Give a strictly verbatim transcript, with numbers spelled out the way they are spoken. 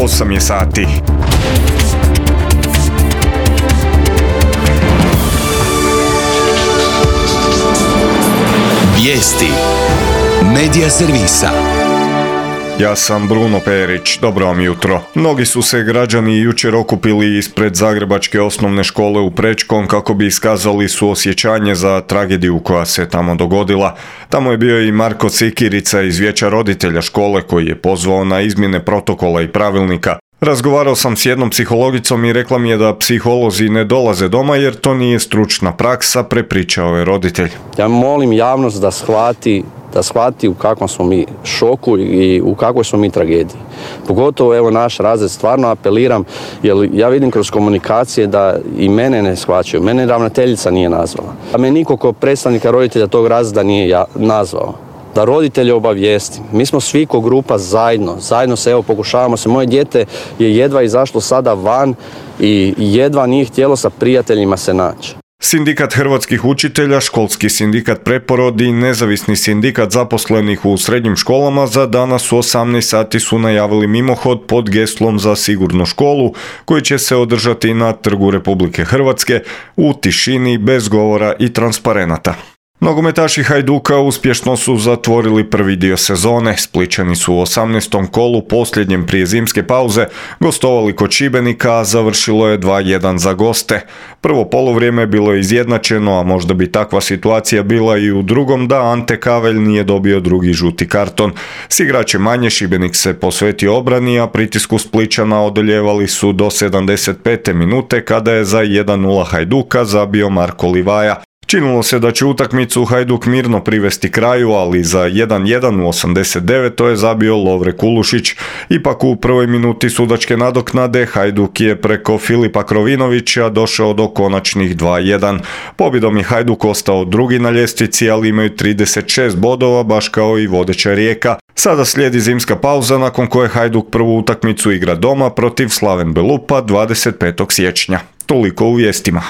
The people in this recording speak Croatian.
osam je sati. Vijesti Medija servisa. Ja sam Bruno Perić, dobro vam jutro. Mnogi su se građani jučer okupili ispred Zagrebačke osnovne škole u Prečkom kako bi iskazali suosjećanje za tragediju koja se tamo dogodila. Tamo je bio i Marko Cikirica iz Vijeća roditelja škole koji je pozvao na izmjene protokola i pravilnika. Razgovarao sam s jednom psihologicom i rekla mi je da psiholozi ne dolaze doma jer to nije stručna praksa, prepričao je roditelj. Ja molim javnost da shvati, da shvati u kakvom smo mi šoku i u kakvoj smo mi tragediji. Pogotovo evo naš razred, stvarno apeliram, jer ja vidim kroz komunikacije da i mene ne shvaćaju, mene ravnateljica nije nazvala. A me niko kao predstavnika roditelja tog razreda nije ja nazvao. Da roditelje obavijestim. Mi smo svi ko grupa zajedno, zajedno se evo pokušavamo se. Moje dijete je jedva izašlo sada van i jedva nije htjelo sa prijateljima se naći. Sindikat hrvatskih učitelja, školski sindikat Preporod i nezavisni sindikat zaposlenih u srednjim školama za danas u osamnaest sati su najavili mimohod pod geslom za sigurnu školu koji će se održati na Trgu Republike Hrvatske u tišini, bez govora i transparenata. Nogometaši Hajduka uspješno su zatvorili prvi dio sezone. Splićani su u osamnaestom kolu, posljednjem prije zimske pauze, gostovali kod Šibenika, a završilo je dva jedan za goste. Prvo poluvrijeme bilo je izjednačeno, a možda bi takva situacija bila i u drugom da Ante Kavelj nije dobio drugi žuti karton. S igračem manje Šibenik se posvetio obrani, a pritisku Splićana odoljevali su do sedamdeset pete minute kada je za jedan nula Hajduka zabio Marko Livaja. Činilo se da će utakmicu Hajduk mirno privesti kraju, ali za jedan jedan u osamdeset devetoj je zabio Lovre Kulušić. Ipak u prvoj minuti sudačke nadoknade Hajduk je preko Filipa Krovinovića došao do konačnih dva jedan. Pobjedom je Hajduk ostao drugi na ljestvici, ali imaju trideset šest bodova, baš kao i vodeća Rijeka. Sada slijedi zimska pauza nakon koje Hajduk prvu utakmicu igra doma protiv Slaven Belupa dvadeset petog siječnja. Toliko u vijestima.